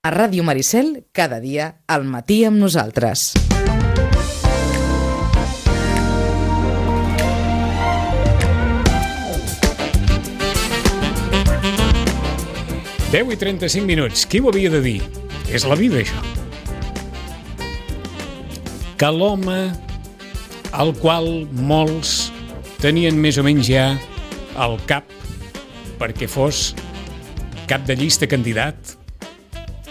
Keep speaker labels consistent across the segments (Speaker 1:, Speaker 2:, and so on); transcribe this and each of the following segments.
Speaker 1: A Ràdio Maricel, cada dia, al matí amb nosaltres.
Speaker 2: Deu i 35 minuts. Qui ho havia de dir? És la vida, això. Que l'home al qual molts tenien més o menys ja al cap perquè fos cap de llista candidat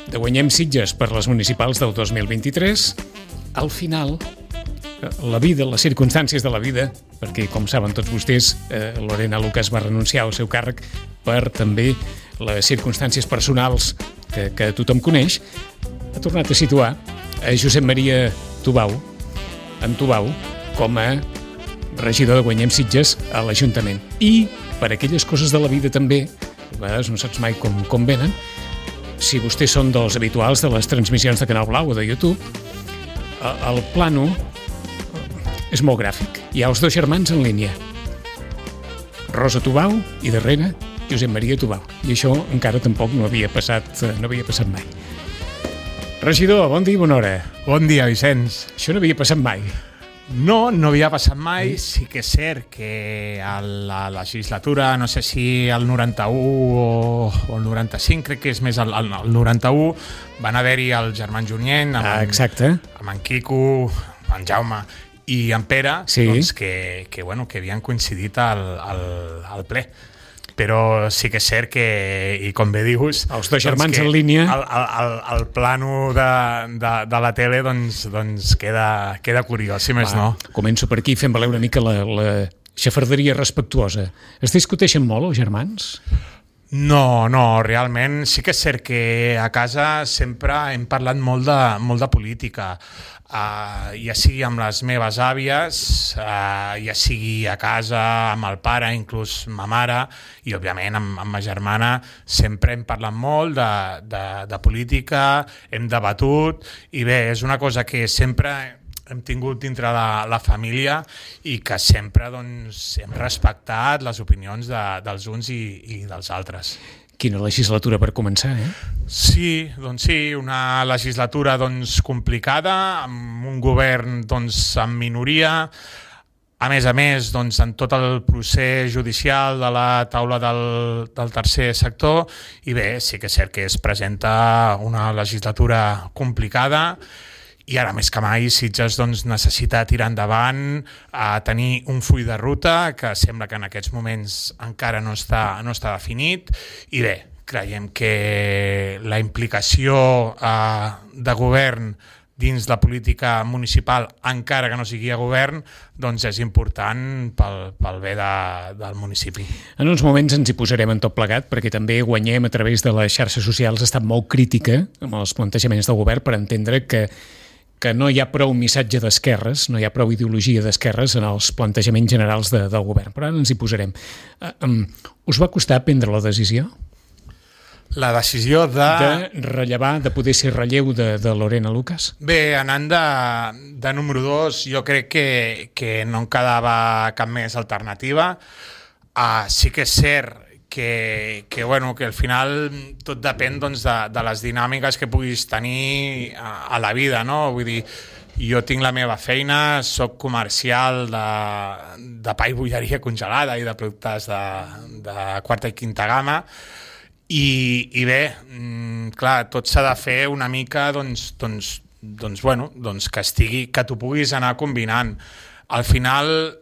Speaker 2: de Guanyem Sitges per les municipals del 2023, al final, la vida, les circumstàncies de la vida, perquè, com saben tots vostès, Lorena Lucas va renunciar al seu càrrec per també les circumstàncies personals que tothom coneix, ha tornat a situar a Josep Maria Tubau, com a regidor de Guanyem Sitges a l'Ajuntament. I per aquelles coses de la vida també, a vegades no saps mai com venen, si vostès són dels habituals de les transmissions de Canal Blau o de YouTube, el plano és molt gràfic. Hi ha els dos germans en línia. Rosa Tubau i darrere Josep Maria Tubau. I això encara tampoc no havia passat mai. Regidor, bon dia i bona hora.
Speaker 3: Bon dia, Vicenç.
Speaker 2: Això no havia passat mai.
Speaker 3: No havia passat mai. Sí que és cert que a la legislatura, no sé si el 91 o el 95, crec que és més el 91, van haver-hi el germán Junyent, amb en Quico, en Jaume i en Pere, sí. Doncs que havien coincidit al ple. Però sí que és cert que, i com bé dius...
Speaker 2: Els dos germans en línia...
Speaker 3: El plano de la tele doncs queda curiós, si més no.
Speaker 2: Començo per aquí fent valer una mica la xafarderia respectuosa. Es discuteixen molt, els germans?
Speaker 3: No, realment sí que és cert que a casa sempre hem parlat molt de política. Ja sigui amb les meves àvies, ja sigui a casa amb el pare, inclús ma mare, i òbviament amb ma germana sempre hem parlat molt de política, hem debatut, i bé, és una cosa que sempre hem tingut dintre la família i que sempre doncs, hem respectat les opinions dels uns i dels altres.
Speaker 2: Quina legislatura per començar, eh?
Speaker 3: Sí, una legislatura complicada, amb un govern amb minoria, a més, en tot el procés judicial de la taula del tercer sector, i bé, sí que és cert que es presenta una legislatura complicada, i ara més que mai Sitges necessita tirar endavant, tenir un full de ruta que sembla que en aquests moments encara no està definit, i bé, creiem que la implicació de govern dins la política municipal, encara que no sigui a govern, és important pel bé del municipi.
Speaker 2: En uns moments ens hi posarem en tot plegat, perquè també Guanyem a través de les xarxes socials ha estat molt crítica amb els plantejaments del govern per entendre que no hi ha prou missatge d'esquerres, no hi ha prou ideologia d'esquerres en els plantejaments generals del govern. Però ara ens hi posarem. Us va costar prendre la decisió?
Speaker 3: La decisió
Speaker 2: de rellevar, de poder ser relleu de Lorena Lucas?
Speaker 3: Bé, anant de número 2, jo crec que no em quedava cap més alternativa. Sí que és cert que al final tot depèn de les dinàmiques que puguis tenir a la vida, no? Vull dir, jo tinc la meva feina, soc comercial de pa i bolleria congelada i de productes de quarta i quinta gamma, i bé, clar, tot s'ha de fer una mica que t'ho puguis anar combinant. Al final,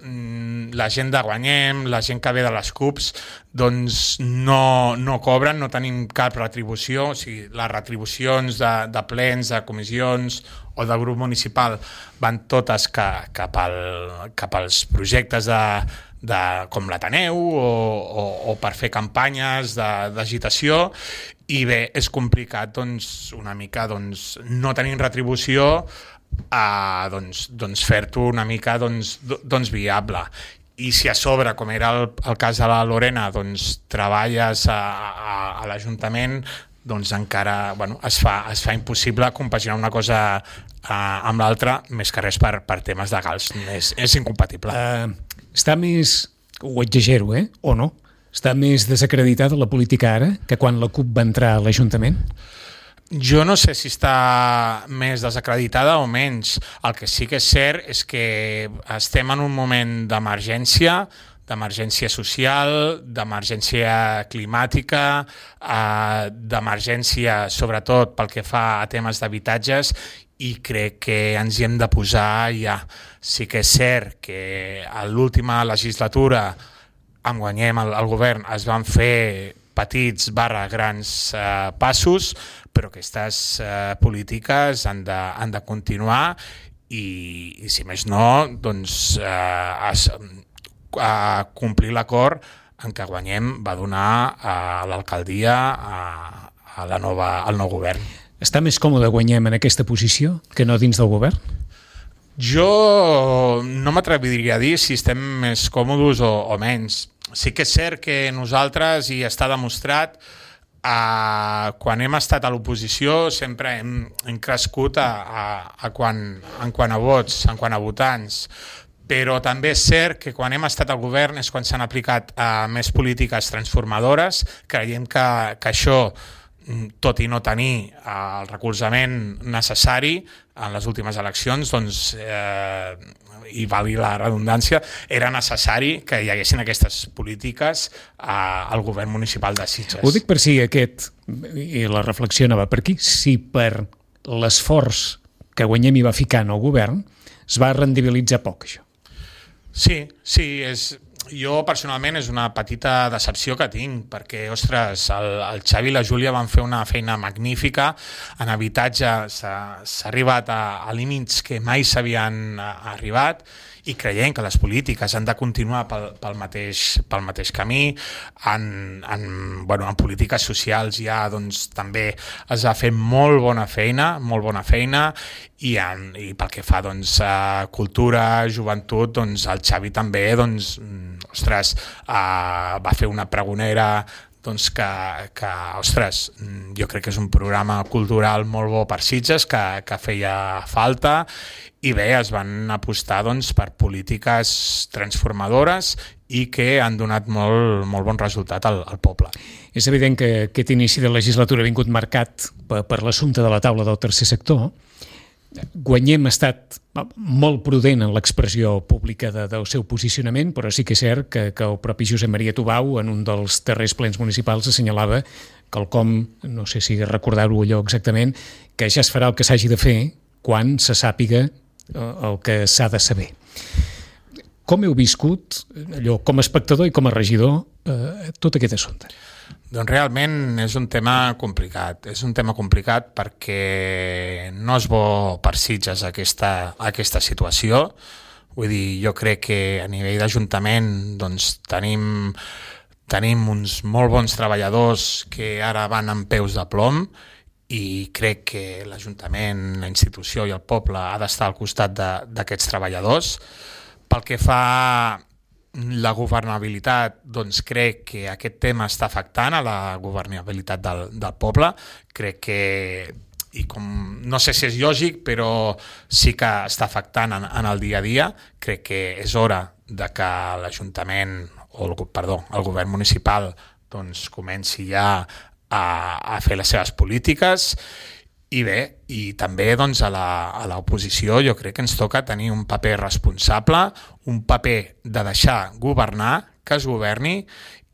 Speaker 3: la gent de Guanyem, la gent que ve de les CUPs, no cobren, no tenim cap retribució. O sigui, les retribucions de plens, de comissions o de grup municipal van totes cap als projectes com l'Ateneu o per fer campanyes d'agitació, i bé, és complicat una mica no tenint retribució fer-t'ho una mica viable. I si a sobre, com era el cas de la Lorena, treballes a l'Ajuntament, encara es fa impossible compaginar una cosa amb l'altra, més que res per temes legals. És incompatible.
Speaker 2: Està més, ho exagero, o no? Està més desacreditada la política ara que quan la CUP va entrar a l'Ajuntament?
Speaker 3: Jo no sé si està més desacreditada o menys. El que sí que és cert és que estem en un moment d'emergència social, d'emergència climàtica, d'emergència sobretot pel que fa a temes d'habitatges, i crec que ens hi hem de posar ja. Sí que és cert que a l'última legislatura, en guanyem el govern, es van fer petits grans passos, però aquestes polítiques han de continuar i si més no, doncs complir l'acord en què guanyem va donar a l'alcaldia al nou govern.
Speaker 2: Està més còmode Guanyem en aquesta posició que no dins del govern?
Speaker 3: Jo no m'atreviria a dir si estem més còmodes o menys. Sí que és cert que nosaltres, i està demostrat, quan hem estat a l'oposició sempre hem crescut en quant a vots, en quant a votants, però també és cert que quan hem estat al govern és quan s'han aplicat més polítiques transformadores. Creiem que això, tot i no tenir el recolzament necessari en les últimes eleccions, doncs, i valgui la redundància, era necessari que hi haguessin aquestes polítiques al govern municipal de Sitges.
Speaker 2: Ho dic per si i la reflexió no va per aquí, si per l'esforç que Guanyem hi va ficar en el govern es va rendibilitzar poc, això.
Speaker 3: Sí, jo personalment és una petita decepció que tinc, perquè, ostres, el Xavi i la Júlia van fer una feina magnífica. En habitatge s'ha arribat a límits que mai s'havien arribat, i creiem que les polítiques han de continuar pel mateix camí. En polítiques socials ja doncs, també es va fer molt bona feina, i pel que fa doncs, a cultura, joventut, doncs, el Xavi també va fer una pregonera doncs ostres, jo crec que és un programa cultural molt bo per Sitges, que feia falta, i bé, es van apostar doncs, per polítiques transformadores i que han donat molt bon resultat al poble.
Speaker 2: És evident que aquest inici de legislatura ha vingut marcat per l'assumpte de la taula del tercer sector. Guanyem ha estat molt prudent en l'expressió pública del seu posicionament, però sí que és cert que el propi Josep Maria Tubau, en un dels darrers plens municipals, assenyalava quelcom, no sé si recordar-ho allò exactament, que ja es farà el que s'hagi de fer quan se sàpiga el que s'ha de saber. Com heu viscut, allò, com a espectador i com a regidor, tot aquest assumpte?
Speaker 3: Doncs realment és un tema complicat. És un tema complicat perquè no és bo per Sitges aquesta situació. Vull dir, jo crec que a nivell d'Ajuntament doncs, tenim uns molt bons treballadors que ara van amb peus de plom, i crec que l'Ajuntament, la institució i el poble ha d'estar al costat d'aquests treballadors. Pel que fa la governabilitat, doncs crec que aquest tema està afectant a la governabilitat del poble. Crec que, i com no sé si és lògic, però sí que està afectant en el dia a dia. Crec que és hora de que l'Ajuntament, el govern municipal, doncs comenci ja a fer les seves polítiques. I bé, i també doncs, a l'oposició jo crec que ens toca tenir un paper responsable, un paper de deixar governar, que es governi,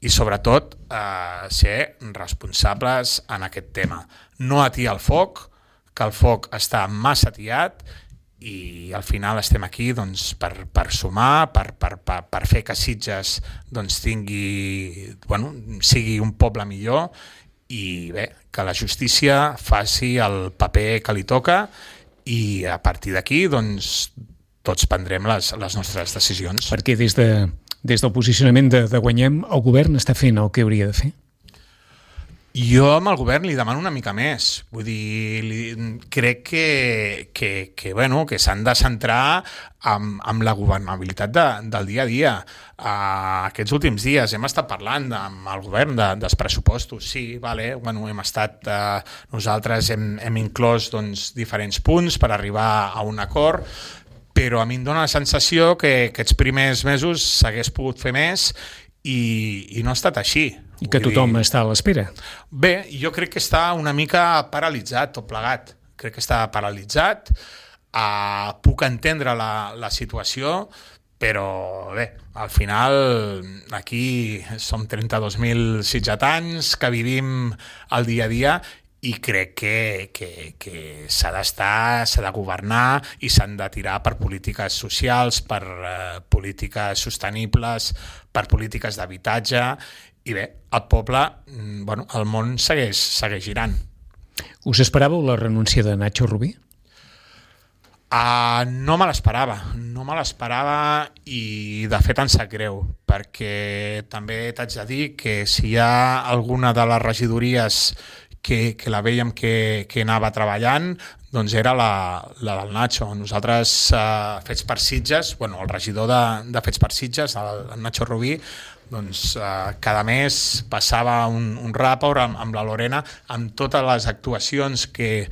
Speaker 3: i sobretot ser responsables en aquest tema. No atiar el foc, que el foc està massa atiat, i al final estem aquí doncs, per sumar, per fer que Sitges doncs, sigui un poble millor, i bé, que la justícia faci el paper que li toca, i a partir d'aquí doncs, tots prendrem les nostres decisions.
Speaker 2: Perquè des del posicionament de Guanyem, el govern està fent el que hauria de fer?
Speaker 3: Jo amb el govern li demano una mica més. Vull dir, crec que s'han de centrar en la governabilitat del dia a dia. Aquests últims dies hem estat parlant amb el govern dels pressupostos. Sí, hem estat, nosaltres hem inclòs doncs, diferents punts per arribar a un acord, però a mi em dóna la sensació que aquests primers mesos s'hagués pogut fer més, i no ha estat així.
Speaker 2: I que tothom està a l'espera.
Speaker 3: Bé, jo crec que està una mica paralitzat, tot plegat. Crec que està paralitzat. Puc entendre la situació, però bé, al final aquí som 32.000 sitgetans que vivim el dia a dia i crec que s'ha de governar i s'han de tirar per polítiques socials, per polítiques sostenibles, per polítiques d'habitatge i bé, el poble, el món segueix girant.
Speaker 2: Us esperàveu la renúncia de Nacho Rubí?
Speaker 3: No me l'esperava i de fet em sap greu, perquè també t'haig de dir que si hi ha alguna de les regidories que la veiem que anava treballant, doncs era la del Nacho. Nosaltres, Fets per Sitges, el regidor de Fets per Sitges, el Nacho Rubí, doncs cada mes passava un ràpor amb la Lorena amb totes les actuacions que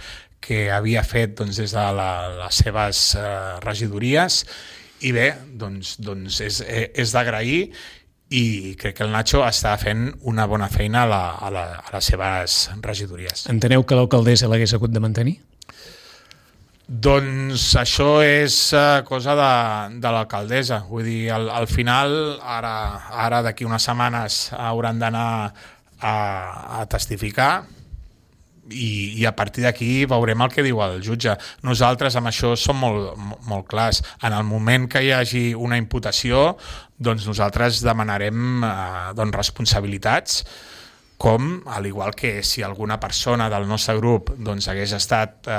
Speaker 3: havia fet des de les seves regidories i bé, doncs és d'agrair i crec que el Nacho està fent una bona feina a les seves regidories.
Speaker 2: Enteneu que l'alcaldessa l'hagués hagut de mantenir?
Speaker 3: Doncs això és cosa de l'alcaldessa. Vull dir, al final, ara d'aquí unes setmanes hauran d'anar a testificar i a partir d'aquí veurem el que diu el jutge. Nosaltres amb això som molt clars. En el moment que hi hagi una imputació, doncs nosaltres demanarem responsabilitats, com, al igual que si alguna persona del nostre grup hagués estat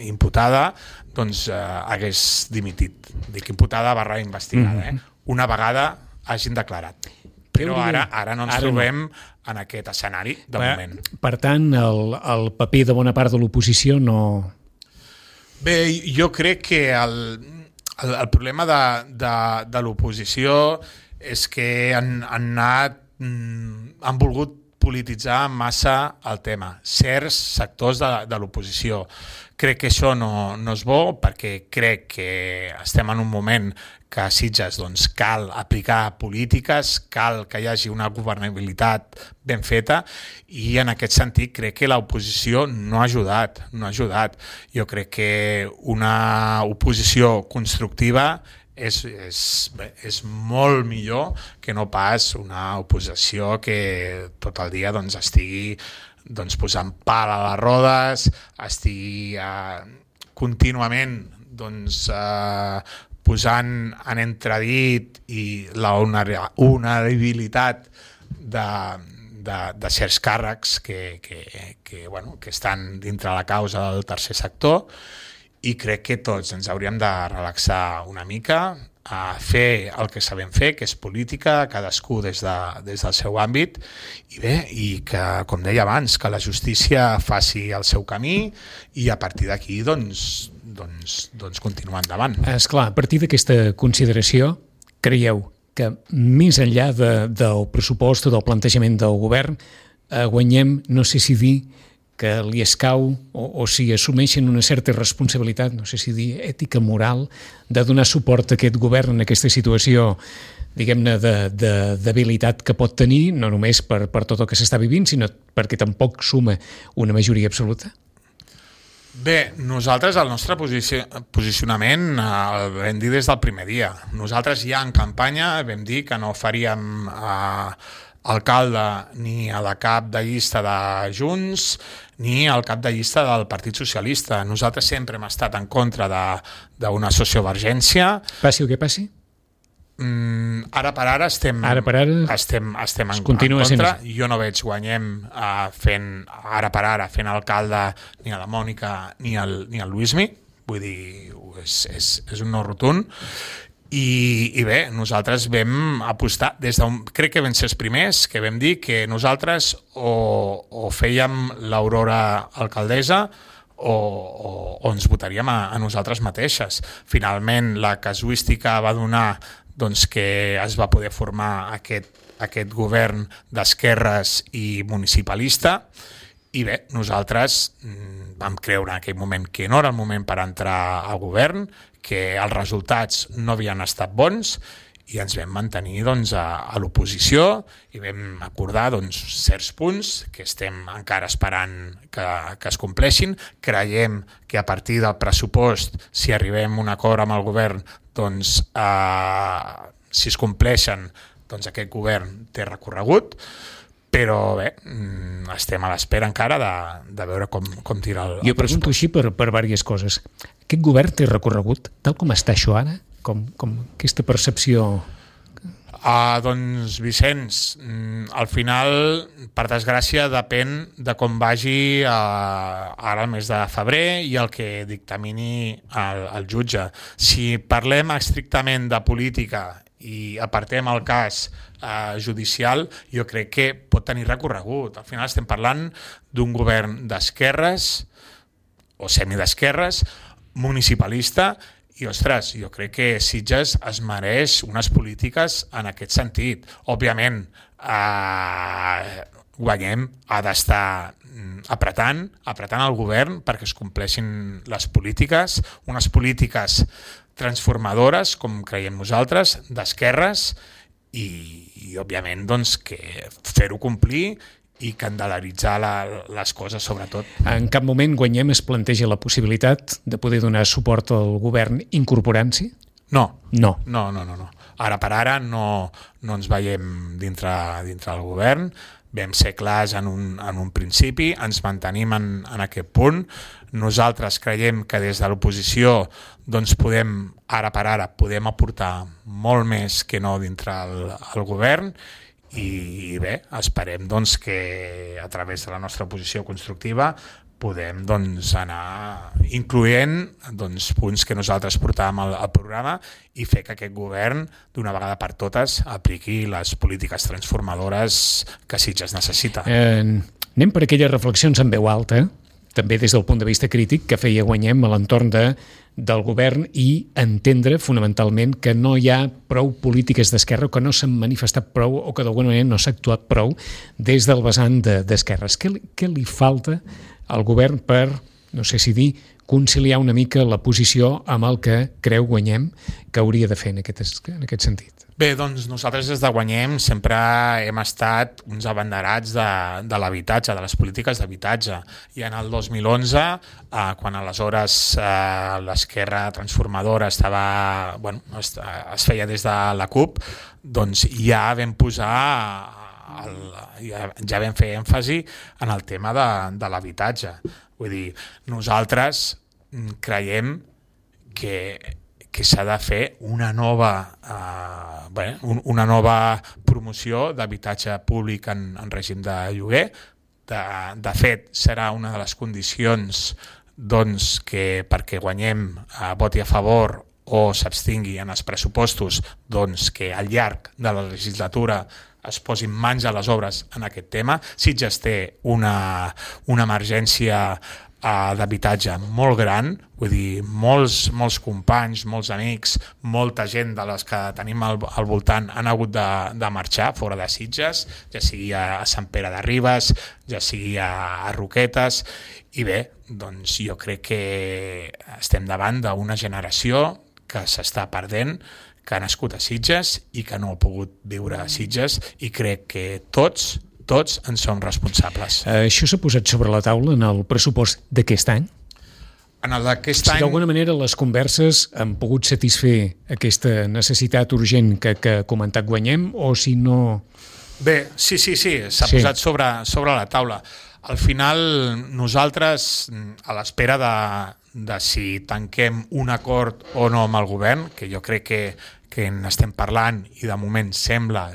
Speaker 3: imputada, hagués dimitit. Dic imputada / investigada. Una vegada hagin declarat. Però ara no ens trobem en aquest escenari de moment.
Speaker 2: Per tant, el paper de bona part de l'oposició no...
Speaker 3: Bé, jo crec que el problema de l'oposició és que han volgut polititzar massa el tema, certs sectors de l'oposició. Crec que això no és bo, perquè crec que estem en un moment que a Sitges cal aplicar polítiques, cal que hi hagi una governabilitat ben feta i en aquest sentit crec que l'oposició no ha ajudat. Jo crec que una oposició constructiva és molt millor que no pas una oposició que tot el dia estigui posant pal a les rodes, estigui contínuament posant en entredit i la honorabilitat de certs càrrecs que estan dintre la causa del tercer sector, i crec que tots ens hauríem de relaxar una mica, a fer el que sabem fer, que és política, cadascú des del seu àmbit, i bé, i que, com deia abans, que la justícia faci el seu camí i a partir d'aquí continuar endavant.
Speaker 2: Esclar, a partir d'aquesta consideració, creieu que més enllà del pressupost o del plantejament del govern, guanyem, no sé si dir, que li escau o si assumeixen una certa responsabilitat, no sé si dir ètica, moral, de donar suport a aquest govern en aquesta situació, diguem-ne, de debilitat que pot tenir, no només per tot el que s'està vivint, sinó perquè tampoc suma una majoria absoluta?
Speaker 3: Bé, nosaltres el nostre posicionament el vam dir des del primer dia. Nosaltres ja en campanya vam dir que no faríem alcalde ni a la cap de llista de Junts ni al cap de llista del Partit Socialista. Nosaltres sempre hem estat en contra d'una sociovergència.
Speaker 2: Passi el que passi?
Speaker 3: Ara per ara estem en contra. Jo no veig guanyem ara per ara fent alcalde ni a la Mònica ni al Luismi. Vull dir, és un no rotund. I bé, nosaltres vam apostar, crec que vam ser els primers que vam dir que nosaltres o fèiem l'Aurora alcaldessa o ens votaríem a nosaltres mateixes. Finalment, la casuística va donar que es va poder formar aquest govern d'esquerres i municipalista, i bé, nosaltres vam creure en aquell moment que no era el moment per entrar al govern, que els resultats no havien estat bons i ens vam mantenir doncs, a l'oposició i vam acordar doncs, certs punts que estem encara esperant que es compleixin. Creiem que a partir del pressupost, si arribem a un acord amb el govern, doncs, si es compleixen, doncs aquest govern té recorregut, però bé, estem a l'espera encara de veure com tira el
Speaker 2: Jo pregunto així per diverses coses. Aquest govern té recorregut, tal com està això ara? Com aquesta percepció...
Speaker 3: Doncs, Vicenç, al final, per desgràcia, depèn de com vagi ara el mes de febrer i el que dictamini el jutge. Si parlem estrictament de política i apartem el cas judicial, jo crec que pot tenir recorregut. Al final estem parlant d'un govern d'esquerres o semidesquerres, municipalista, i, ostres, jo crec que Sitges es mereix unes polítiques en aquest sentit. Òbviament, Guanyem ha d'estar apretant el govern perquè es compleixin les polítiques, unes polítiques transformadores, com creiem nosaltres, d'esquerres, i òbviament, doncs, que fer-ho complir i candelaritzar les coses, sobretot.
Speaker 2: En cap moment Guanyem es planteja la possibilitat de poder donar suport al govern incorporant-s'hi?
Speaker 3: No.
Speaker 2: No.
Speaker 3: Ara per ara no ens veiem dintre del govern, vam ser clars en un principi, ens mantenim en aquest punt. Nosaltres creiem que des de l'oposició doncs ara per ara podem aportar molt més que no dintre el govern, i bé, esperem doncs, que a través de la nostra posició constructiva podem doncs, anar incloent punts que nosaltres portàvem al programa i fer que aquest govern, d'una vegada per totes, apliqui les polítiques transformadores que Sitges necessita.
Speaker 2: Anem per aquelles reflexions en veu alta, també des del punt de vista crític, que feia Guanyem a l'entorn del govern, i entendre fonamentalment que no hi ha prou polítiques d'esquerra, que no s'han manifestat prou o que d'alguna manera no s'ha actuat prou des del vessant d'esquerres. Què li falta al govern per, no sé si dir, conciliar una mica la posició amb el que creu Guanyem que hauria de fer en aquest sentit?
Speaker 3: Bé, doncs nosaltres des de Guanyem sempre hem estat uns abanderats de l'habitatge, de les polítiques d'habitatge. I en el 2011, quan aleshores l'esquerra transformadora es feia des de la CUP, doncs ja vam ja vam fer èmfasi en el tema de l'habitatge. Vull dir, nosaltres creiem que s'ha de fer una nova promoció d'habitatge públic en règim de lloguer. De fet, serà una de les condicions que perquè Guanyem voti a favor o s'abstingui en els pressupostos, que al llarg de la legislatura es posin mans a les obres en aquest tema. Sitges té una emergència d'habitatge molt gran, vull dir, molts companys, molts amics, molta gent de les que tenim al voltant han hagut de marxar fora de Sitges, ja sigui a Sant Pere de Ribes, ja sigui a Roquetes, i bé, doncs jo crec que estem davant d'una generació que s'està perdent, que ha nascut a Sitges i que no ha pogut viure a Sitges, i crec que tots en som responsables.
Speaker 2: Això s'ha posat sobre la taula en el pressupost d'aquest any?
Speaker 3: En el d'aquest any...
Speaker 2: Si d'alguna manera les converses han pogut satisfer aquesta necessitat urgent que ha comentat Guanyem, o si no...
Speaker 3: Bé, sí, s'ha posat sobre la taula. Al final, nosaltres, a l'espera de si tanquem un acord o no amb el govern, que jo crec que n'estem parlant i de moment sembla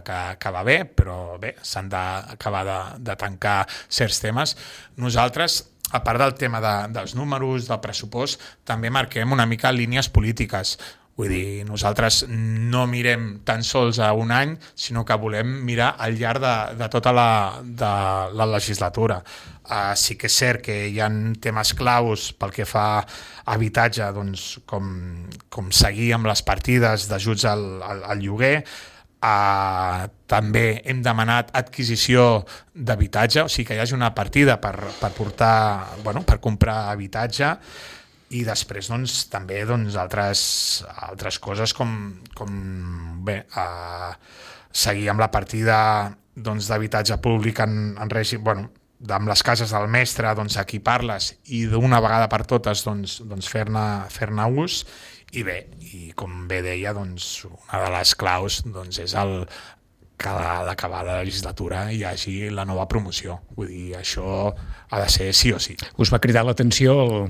Speaker 3: que va bé, però bé, s'han d'acabar de tancar certs temes. Nosaltres, a part del tema dels números, del pressupost, també marquem una mica línies polítiques. Vull dir, nosaltres no mirem tan sols a un any, sinó que volem mirar al llarg de tota la legislatura. Sí que és cert que hi ha temes claus pel que fa a habitatge, doncs, com seguir amb les partides d'ajuts al lloguer. També hem demanat adquisició d'habitatge, o sigui que hi hagi una partida per comprar habitatge. i després doncs, també doncs, altres coses com seguir amb la partida d'habitatge públic en règim, amb les cases del mestre, equipar-les i d'una vegada per totes fer-ne ús. I com bé deia, una de les claus és que a l'acabar la legislatura hi hagi la nova promoció. Vull dir, això ha de ser sí o sí.
Speaker 2: Us va cridar l'atenció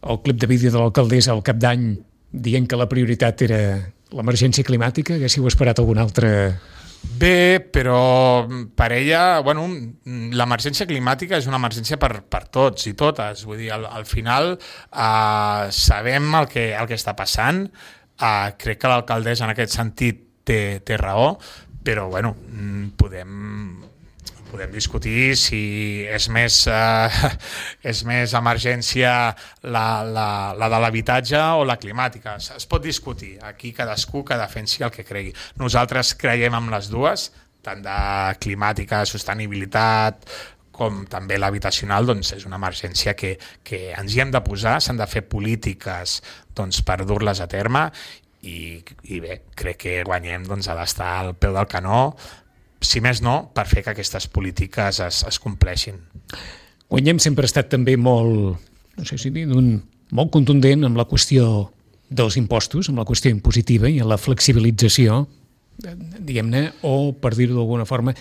Speaker 2: el clip de vídeo de l'alcaldessa al cap d'any dient que la prioritat era l'emergència climàtica? Haguéssiu esperat algun altre...
Speaker 3: Bé, però per ella, l'emergència climàtica és una emergència per tots i totes. Vull dir, al final sabem el que està passant. Crec que l'alcaldessa en aquest sentit té raó, però podem discutir si és més emergència la de l'habitatge o la climàtica. Es pot discutir. Aquí cadascú que defensi el que cregui. Nosaltres creiem en les dues, tant de climàtica, sostenibilitat, com també l'habitacional, és una emergència que ens hi hem de posar, s'han de fer polítiques per dur-les a terme i bé, crec que guanyem ha d'estar al peu del canó, si més no, per fer que aquestes polítiques es compleixin.
Speaker 2: Guanyem sempre ha estat també molt, no sé si dir, molt contundent amb la qüestió dels impostos, amb la qüestió impositiva i en la flexibilització, diguem-ne, o, per dir-ho d'alguna forma,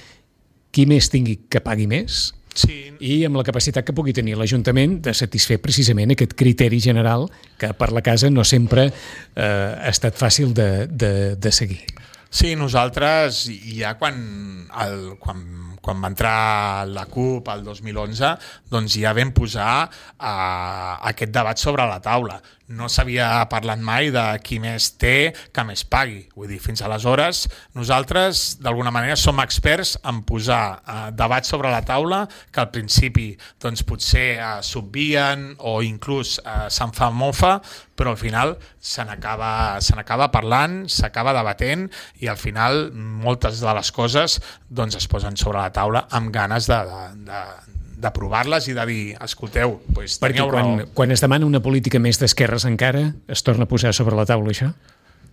Speaker 2: qui més tingui que pagui més,
Speaker 3: sí,
Speaker 2: i amb la capacitat que pugui tenir l'Ajuntament de satisfer precisament aquest criteri general que per la casa no sempre ha estat fàcil de seguir.
Speaker 3: Sí, nosaltres ja quan va entrar la CUP el 2011 ja vam posar aquest debat sobre la taula. No s'havia parlat mai de qui més té que més pagui. Vull dir, fins aleshores nosaltres d'alguna manera som experts en posar debats sobre la taula que al principi potser s'obvien o inclús se'n fa mofa, però al final se n'acaba parlant, s'acaba debatent i al final moltes de les coses es posen sobre la taula amb ganes de provar-les i de dir, escolteu, teníeu raó.
Speaker 2: Quan es demana una política més d'esquerres encara, es torna a posar sobre la taula això?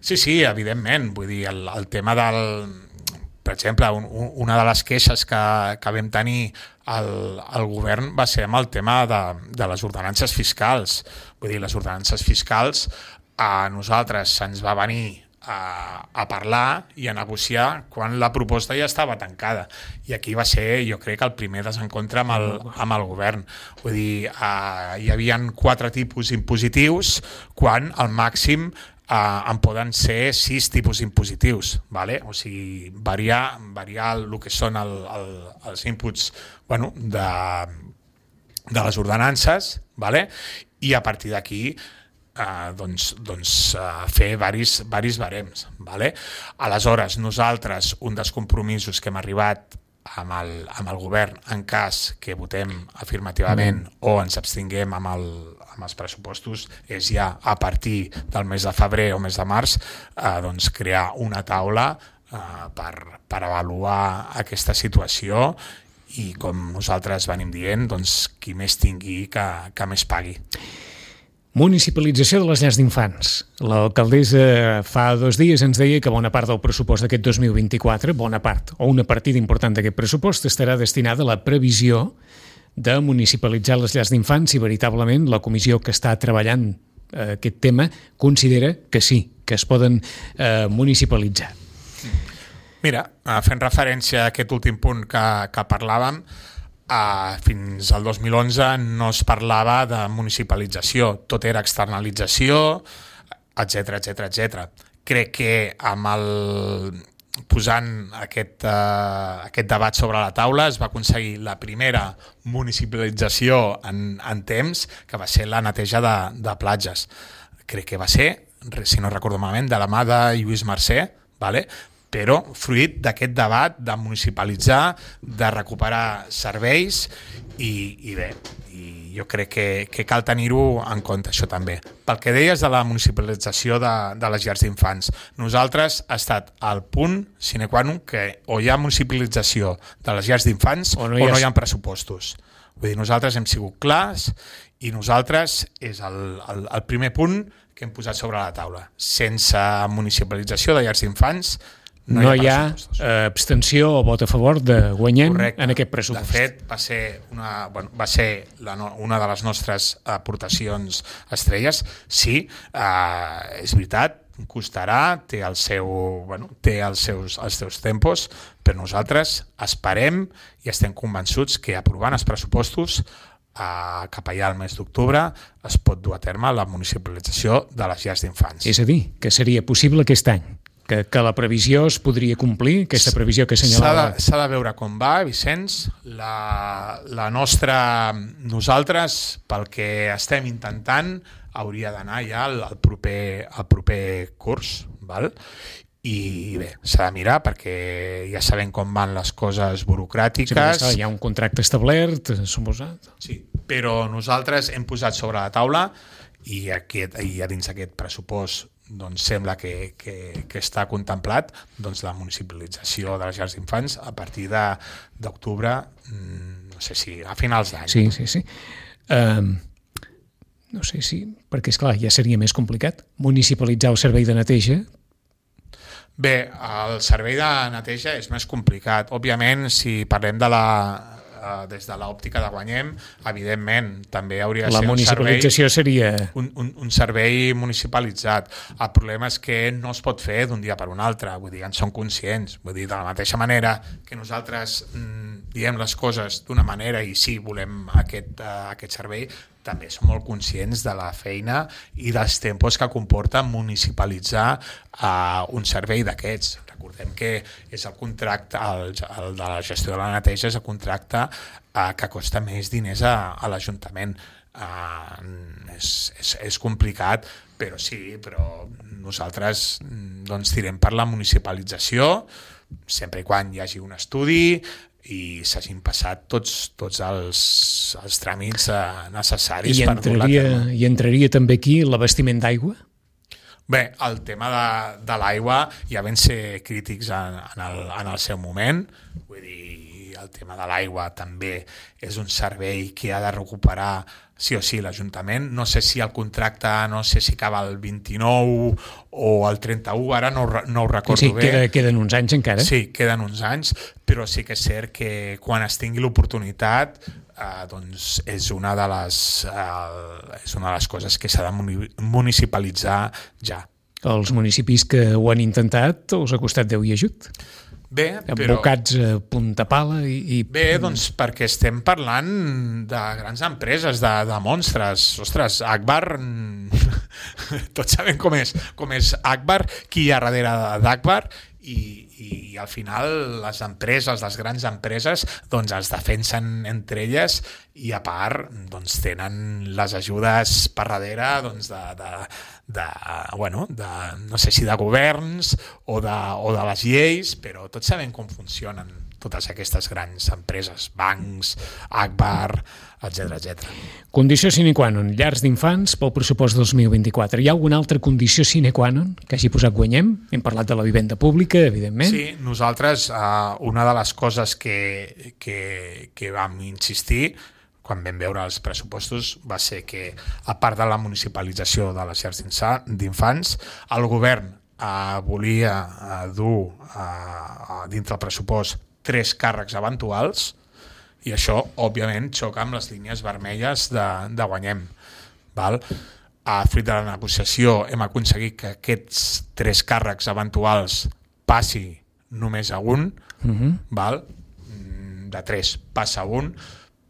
Speaker 3: Sí, evidentment. Vull dir, el tema del... Per exemple, una de les queixes que vam tenir al govern va ser amb el tema de les ordenances fiscals. Vull dir, les ordenances fiscals a nosaltres se'ns va venir a parlar i a negociar quan la proposta ja estava tancada. I aquí va ser, jo crec, el primer desencontre amb el govern. Vull dir, hi havia 4 tipus impositius quan al màxim en poden ser 6 tipus impositius, ¿vale? O sigui, variar el que són els inputs de les ordenances, ¿vale? I a partir d'aquí fer varis barems. ¿Vale? Aleshores, nosaltres, un dels compromisos que hem arribat amb el govern en cas que votem afirmativament o ens abstinguem amb els pressupostos és ja a partir del mes de febrer o mes de març crear una taula per avaluar aquesta situació i com nosaltres venim dient, qui més tingui que més pagui.
Speaker 2: Municipalització de les llars d'infants. L'alcaldessa fa 2 dies ens deia que bona part del pressupost d'aquest 2024, bona part, o una partida important d'aquest pressupost, estarà destinada a la previsió de municipalitzar les llars d'infants i veritablement la comissió que està treballant aquest tema considera que sí, que es poden municipalitzar.
Speaker 3: Mira, fent referència a aquest últim punt que parlàvem, fins al 2011 no es parlava de municipalització, tot era externalització, etc. Crec que posant aquest debat sobre la taula es va aconseguir la primera municipalització en temps, que va ser la neteja de platges. Crec que va ser, si no recordo malament, de la mà de Lluís Mercè, ¿vale? Però fruit d'aquest debat de municipalitzar, de recuperar serveis i bé, jo crec que cal tenir-ho en compte, això també. Pel que deies de la municipalització de les llars d'infants, nosaltres ha estat al punt sine qua non que o hi ha municipalització de les llars d'infants o no hi ha pressupostos. Vull dir, nosaltres hem sigut clars i nosaltres és el primer punt que hem posat sobre la taula. Sense municipalització de llars d'infants
Speaker 2: no hi ha abstenció o vot a favor de Guanyem. Correcte. En aquest pressupost.
Speaker 3: De fet, va ser una de les nostres aportacions estrelles. Sí, és veritat, costarà, té els seus tempos, però nosaltres esperem i estem convençuts que aprovant els pressupostos cap allà al mes d'octubre es pot dur a terme la municipalització de les llars d'infants.
Speaker 2: És a dir, que seria possible aquest any, que la previsió es podria complir, aquesta previsió que assenyalava.
Speaker 3: S'ha de veure com va, Vicenç. Nosaltres, pel que estem intentant, hauria d'anar ja al proper curs, val? I bé, s'ha de mirar perquè ja sabem com van les coses burocràtiques.
Speaker 2: Sí, hi ha un contracte establert, suposat.
Speaker 3: Sí, però nosaltres hem posat sobre la taula i a dins d'aquest pressupost doncs sembla que està contemplat doncs, la municipalització de les llars d'infants a partir d'octubre, no sé si a finals d'any.
Speaker 2: Sí. No sé si, perquè esclar, ja seria més complicat municipalitzar el servei de neteja.
Speaker 3: Bé, el servei de neteja és més complicat. Òbviament, si parlem des de l'òptica de Guanyem, evidentment, també hauria de ser
Speaker 2: la municipalització seria
Speaker 3: un servei municipalitzat. El problema és que no es pot fer d'un dia per un altre, vull dir, en som conscients. Vull dir, de la mateixa manera que nosaltres diem les coses d'una manera i sí, volem aquest servei, també som molt conscients de la feina i dels tempos que comporta municipalitzar un servei d'aquests. Recordem que és el contracte, el de la gestió de la neteja és el contracte que costa més diners a l'Ajuntament. És complicat, però nosaltres doncs, tirem per la municipalització sempre i quan hi hagi un estudi i s'hagin passat tots els tràmits necessaris per dur-la a terme.
Speaker 2: I entraria també aquí l'abastiment d'aigua?
Speaker 3: Bé, el tema de l'aigua ja vam ser crítics en el seu moment, vull dir, el tema de l'aigua també és un servei que ha de recuperar sí o sí l'Ajuntament. No sé si el contracte, no sé si acaba el 29 o el 31, ara no ho recordo bé.
Speaker 2: Sí, queden uns anys encara.
Speaker 3: Sí, queden uns anys, però sí que és cert que quan es tingui l'oportunitat doncs és una de les coses que s'ha de municipalitzar ja.
Speaker 2: Els municipis que ho han intentat us ha costat Déu i ajut?
Speaker 3: Bé, però...
Speaker 2: Abocats a punta pala i...
Speaker 3: Bé, doncs perquè estem parlant de grans empreses, de monstres. Ostres, Agbar... Tots sabem com és Agbar, qui hi ha darrere d'Agbar, i al final les empreses, les grans empreses, doncs es defensen entre elles i a part doncs, tenen les ajudes per darrere doncs, no sé si de governs o de les lleis, però tots sabem com funcionen totes aquestes grans empreses, bancs, Agbar, etc.
Speaker 2: Condició sine qua non, llars d'infants pel pressupost 2024. Hi ha alguna altra condició sine qua non que hagi posat Guanyem? Hem parlat de la vivenda pública, evidentment.
Speaker 3: Sí, nosaltres una de les coses que vam insistir quan vam veure els pressupostos va ser que, a part de la municipalització de les llars d'infants, el govern volia dur dintre el pressupost 3 càrrecs eventuals i això, òbviament, xoca amb les línies vermelles de Guanyem. Val? Fruit de la negociació hem aconseguit que aquests 3 càrrecs eventuals passi només a un, val? De 3 passa a un,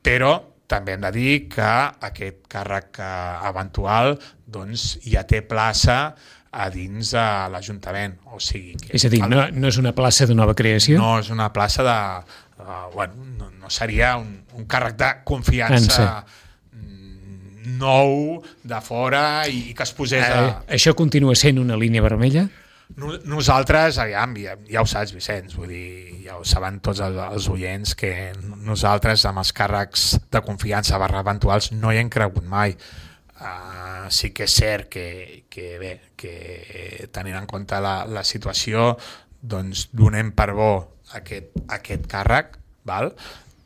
Speaker 3: però també hem de dir que aquest càrrec eventual doncs, ja té plaça a dins de l'Ajuntament. O sigui que,
Speaker 2: és a dir, no és una plaça de nova creació?
Speaker 3: No és una plaça de... no seria un càrrec de confiança nou de fora i que es posés
Speaker 2: Això continua sent una línia vermella?
Speaker 3: Nosaltres, aviam, ja ho saps, Vicenç, vull dir, ja ho saben tots els oients, que nosaltres amb els càrrecs de confiança eventuals no hi hem cregut mai. Sí que és cert que tenint en compte la situació, doncs donem per bo aquest càrrec, val?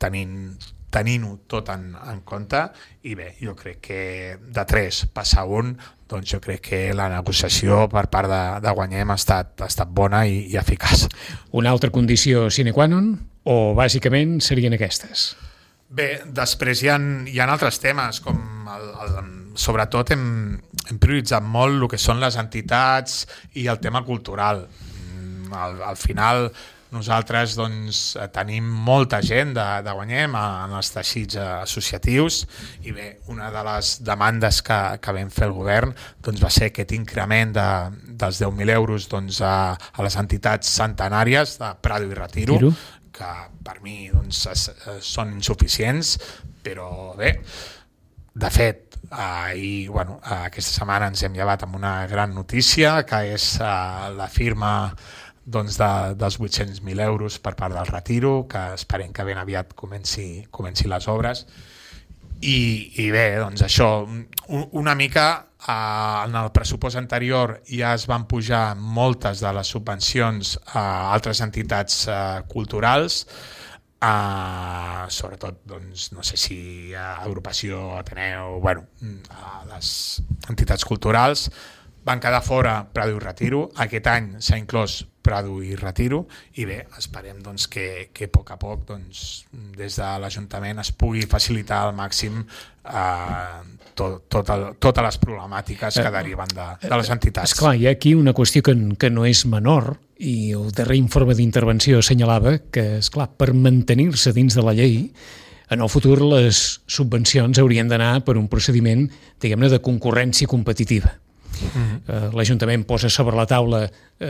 Speaker 3: Tenint tenint-ho tot en compte, i bé, jo crec que de 3 passar 1, doncs jo crec que la negociació per part de Guanyem ha estat bona i eficaç.
Speaker 2: Una altra condició sine qua non o bàsicament serien aquestes?
Speaker 3: Bé, després hi ha altres temes, com sobretot hem prioritzat molt el que són les entitats i el tema cultural. Al final nosaltres doncs, tenim molta gent de Guanyem en els teixits associatius i bé, una de les demandes que vam fer el govern doncs, va ser aquest increment dels 10.000 euros doncs, a les entitats centenàries de Prado i Retiro, que per mi doncs, són insuficients, però bé, de fet, aquesta setmana ens hem llevat amb una gran notícia, que és la firma doncs, dels 800.000 euros per part del Retiro, que esperem que ben aviat comenci les obres. I bé, doncs això, una mica en el pressupost anterior ja es van pujar moltes de les subvencions a altres entitats culturals, sobretot, doncs, no sé si a Agrupació Ateneu, a les entitats culturals, van quedar fora Prado i Retiro. Aquest any s'ha inclòs Prado i Retiro i bé, esperem doncs, que a poc a poc doncs, des de l'Ajuntament es pugui facilitar al màxim totes les problemàtiques que deriven de les entitats.
Speaker 2: Esclar, hi ha aquí una qüestió que no és menor i el darrer informe d'intervenció assenyalava que, esclar, per mantenir-se dins de la llei, en el futur les subvencions haurien d'anar per un procediment, diguem-ne, de concurrència competitiva. L'Ajuntament posa sobre la taula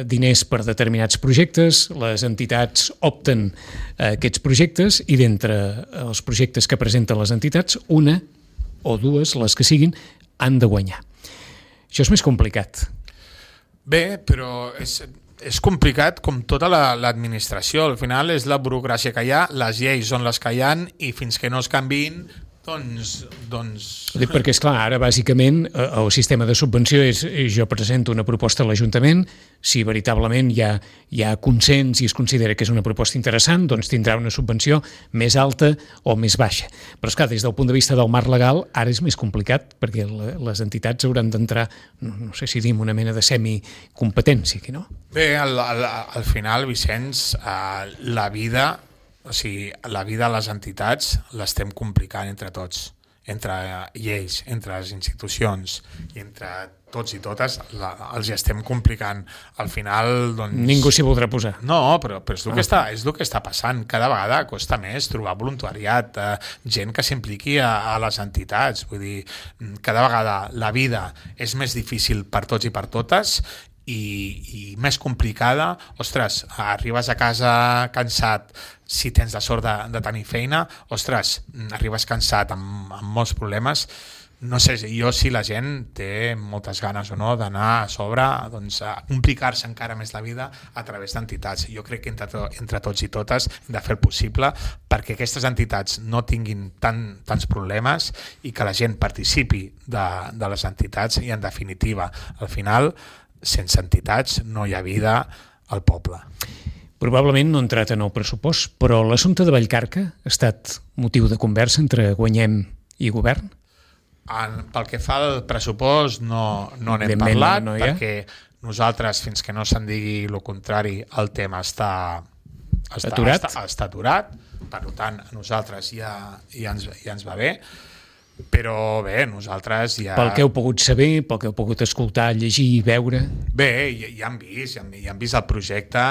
Speaker 2: diners per determinats projectes, les entitats opten a aquests projectes i d'entre els projectes que presenten les entitats, una o dues, les que siguin, han de guanyar. Això és més complicat.
Speaker 3: Bé, però és complicat com tota l'administració. Al final és la burocràcia que hi ha, les lleis són les que hi ha i fins que no es canviïn doncs...
Speaker 2: Perquè, esclar, ara bàsicament el sistema de subvenció és jo presento una proposta a l'Ajuntament, si veritablement hi ha consens i es considera que és una proposta interessant, doncs tindrà una subvenció més alta o més baixa. Però, esclar, des del punt de vista del marc legal, ara és més complicat, perquè les entitats hauran d'entrar, no sé si dim, una mena de semicompetència, no?
Speaker 3: Bé, al final, Vicenç, la vida de les entitats l'estem complicant entre tots, entre lleis, entre les institucions i entre tots i totes els estem complicant. Al final, doncs...
Speaker 2: Ningú s'hi voldrà posar.
Speaker 3: No, però és el que està passant. Cada vegada costa més trobar voluntariat, gent que s'impliqui a les entitats. Vull dir, cada vegada la vida és més difícil per tots i per totes i més complicada. Ostres, arribes a casa cansat, si tens la sort de tenir feina, ostres, arribes cansat amb molts problemes. No sé jo si la gent té moltes ganes o no d'anar a sobre, doncs, a complicar-se encara més la vida a través d'entitats. Jo crec que entre tots i totes hem de fer el possible perquè aquestes entitats no tinguin tants problemes i que la gent participi de les entitats i, en definitiva, al final, sense entitats no hi ha vida al poble.
Speaker 2: Probablement no ha entrat en el pressupost, però l'assumpte de Vallcarca ha estat motiu de conversa entre Guanyem i govern?
Speaker 3: Pel que fa al pressupost no n'hem parlat, perquè nosaltres, fins que no se'n digui el contrari, el tema està aturat. Per tant, a nosaltres ja ens va bé. Però bé, nosaltres ja...
Speaker 2: Pel que heu pogut saber, pel que heu pogut escoltar, llegir i veure...
Speaker 3: Bé, ja han vist el projecte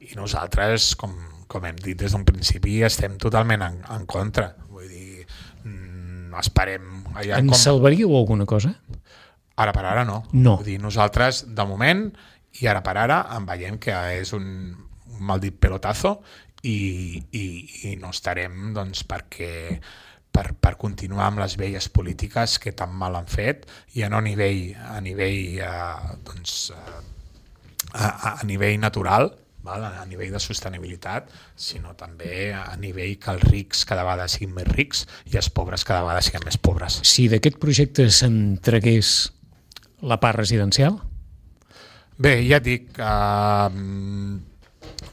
Speaker 3: i nosaltres, com hem dit des d'un principi, estem totalment en contra. Vull dir, esperem...
Speaker 2: Salvaríeu alguna cosa?
Speaker 3: Ara per ara no. Vull dir, nosaltres, de moment, i ara per ara, en veiem que és un maldit pelotazo i no estarem, doncs, perquè... per continuar amb les velles polítiques que tan mal han fet i no a nivell natural, a nivell de sostenibilitat, sinó també a nivell que els rics cada vegada siguin més rics i els pobres cada vegada siguin més pobres.
Speaker 2: Si d'aquest projecte se'n tragués la part residencial?
Speaker 3: Bé, ja et dic,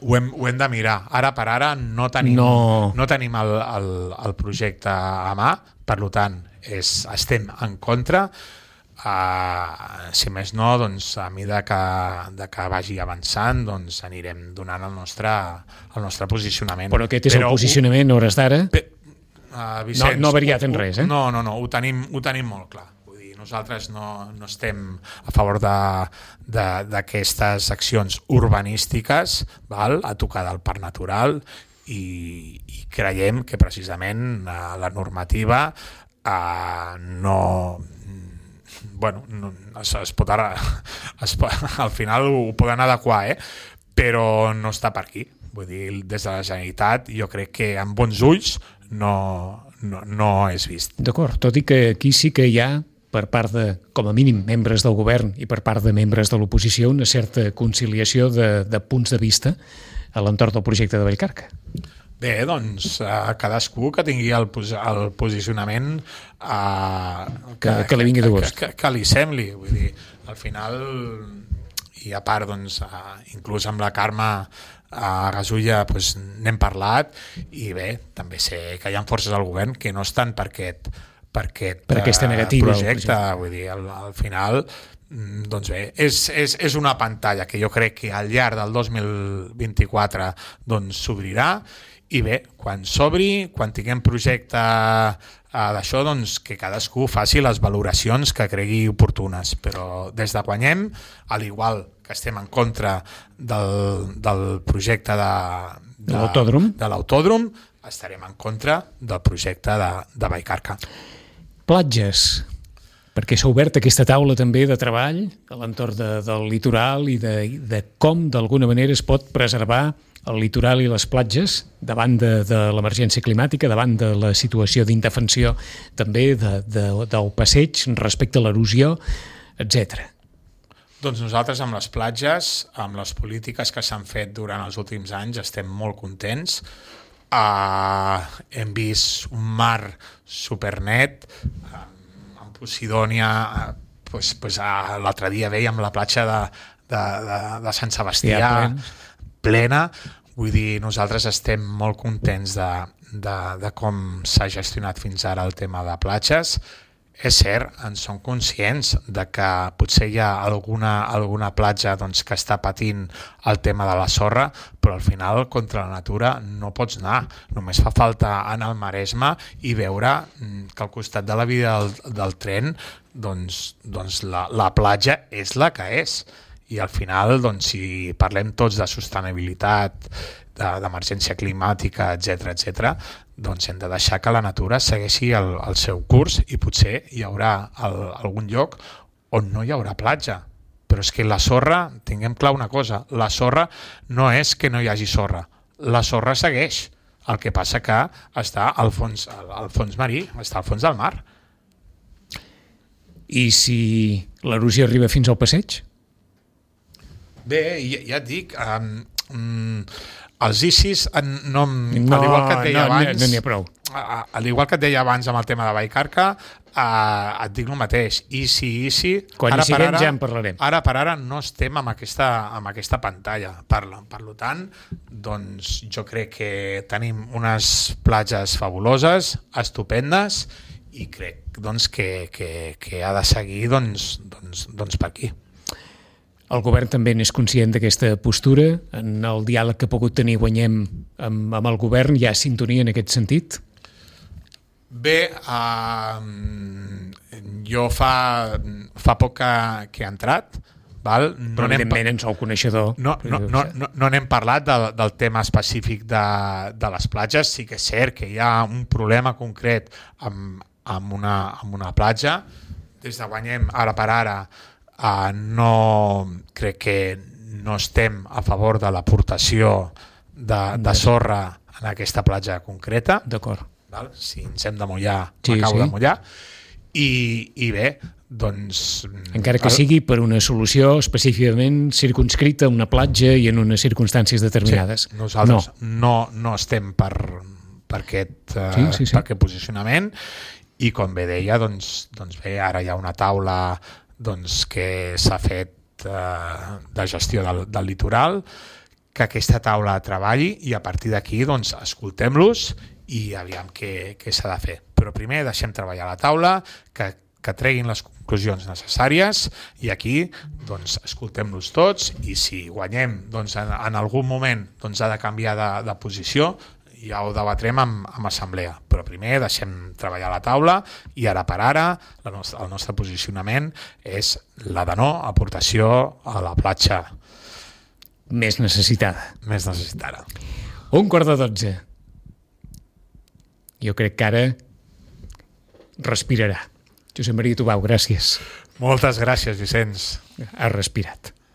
Speaker 3: Ho hem de mirar. Ara per ara no tenim el projecte a mà, per tant, estem en contra. Si més no, doncs, a mesura que vagi avançant, doncs, anirem donant el nostre posicionament.
Speaker 2: Però aquest és el posicionament a hores d'ara?
Speaker 3: Vicenç,
Speaker 2: no ha variat en res,
Speaker 3: No, ho tenim molt clar. Nosaltres no estem a favor d'aquestes accions urbanístiques, a tocar del parc natural, i creiem que precisament la normativa al final ho poden adequar, però no està per aquí. Vull dir, des de la Generalitat jo crec que amb bons ulls no és vist.
Speaker 2: D'acord, tot i que aquí sí que hi ha, per part de, com a mínim, membres del govern i per part de membres de l'oposició, una certa conciliació de punts de vista a l'entorn del projecte de Vallcarca.
Speaker 3: Bé, doncs, cadascú que tingui el posicionament
Speaker 2: que li vingui de gust.
Speaker 3: Que li sembli. Vull dir, al final, i a part, doncs, inclús amb la Carme Gasulla n'hem parlat, i bé, també sé que hi ha forces al govern que no estan per aquesta negativa projecte. Vull dir, al final, doncs bé, és una pantalla que jo crec que al llarg del 2024 doncs s'obrirà, i bé, quan s'obri, quan tinguem projecte d'això, doncs que cadascú faci les valoracions que cregui oportunes, però des de guanyem, al igual que estem en contra del projecte de l'autòdrom, estarem en contra del projecte de Vallcarca.
Speaker 2: Platges, perquè s'ha obert aquesta taula també de treball a l'entorn del litoral i de com d'alguna manera es pot preservar el litoral i les platges davant de l'emergència climàtica, davant de la situació d'indefensió també del passeig respecte a l'erosió, etc.
Speaker 3: Doncs nosaltres amb les platges, amb les polítiques que s'han fet durant els últims anys, estem molt contents. Hem vist un mar supernet, en Posidònia, l'altre dia veiem la platja de Sant Sebastià plena. Vull dir, nosaltres estem molt contents de com s'ha gestionat fins ara el tema de platges. És cert, en som conscients de que potser hi ha alguna platja que està patint el tema de la sorra, però al final contra la natura no pots anar. Només fa falta anar al Maresme i veure que al costat de la via del tren la platja és la que és. I al final, si parlem tots de sostenibilitat, d'emergència climàtica, etc., doncs hem de deixar que la natura segueixi el seu curs, i potser hi haurà algun lloc on no hi haurà platja. Però és que la sorra, tinguem clar una cosa, la sorra no és que no hi hagi sorra, la sorra segueix. El que passa que està al fons marí, està al fons del mar.
Speaker 2: I si l'erosió arriba fins al passeig?
Speaker 3: Bé, ja et dic, els ICIs, al igual que et deia abans,
Speaker 2: no n'hi ha prou.
Speaker 3: Al igual que et deia abans amb el tema de Vallcarca, et dic el mateix. ICI,
Speaker 2: quan hi siguem ja en parlarem.
Speaker 3: Ara per ara no estem amb aquesta pantalla. Per tant, doncs jo crec que tenim unes platges fabuloses, estupendes, i crec que ha de seguir per aquí.
Speaker 2: El govern també n'és conscient d'aquesta postura? En el diàleg que ha pogut tenir Guanyem amb el govern hi ha sintonia en aquest sentit?
Speaker 3: Bé, jo fa poc que he entrat, val?
Speaker 2: Però evidentment en sou coneixedor.
Speaker 3: No n'hem parlat del tema específic de les platges. Sí que és cert que hi ha un problema concret amb una platja. Des de Guanyem, ara per ara, crec que no estem a favor de l'aportació de sorra en aquesta platja concreta.
Speaker 2: D'acord.
Speaker 3: Si ens hem de mullar, m'acabo de mullar. I bé, doncs...
Speaker 2: Encara que sigui per una solució específicament circunscrita a una platja i en unes circumstàncies determinades.
Speaker 3: Sí, nosaltres no estem per aquest posicionament, i com bé deia, doncs bé, ara hi ha una taula que s'ha fet de gestió del litoral, que aquesta taula treballi i a partir d'aquí doncs, escoltem-los i aviam què s'ha de fer. Però primer deixem treballar la taula, que treguin les conclusions necessàries i aquí doncs, escoltem-los tots i si guanyem doncs, en algun moment doncs, ha de canviar de posició, ja ho debatrem amb assemblea, però primer deixem treballar la taula i ara per ara el nostre posicionament és la de no aportació a la platja
Speaker 2: Més necessitada.
Speaker 3: 11:45.
Speaker 2: Jo crec que ara respirarà. Josep Maria Tubau, gràcies.
Speaker 3: Moltes gràcies, Vicenç.
Speaker 2: Ha respirat.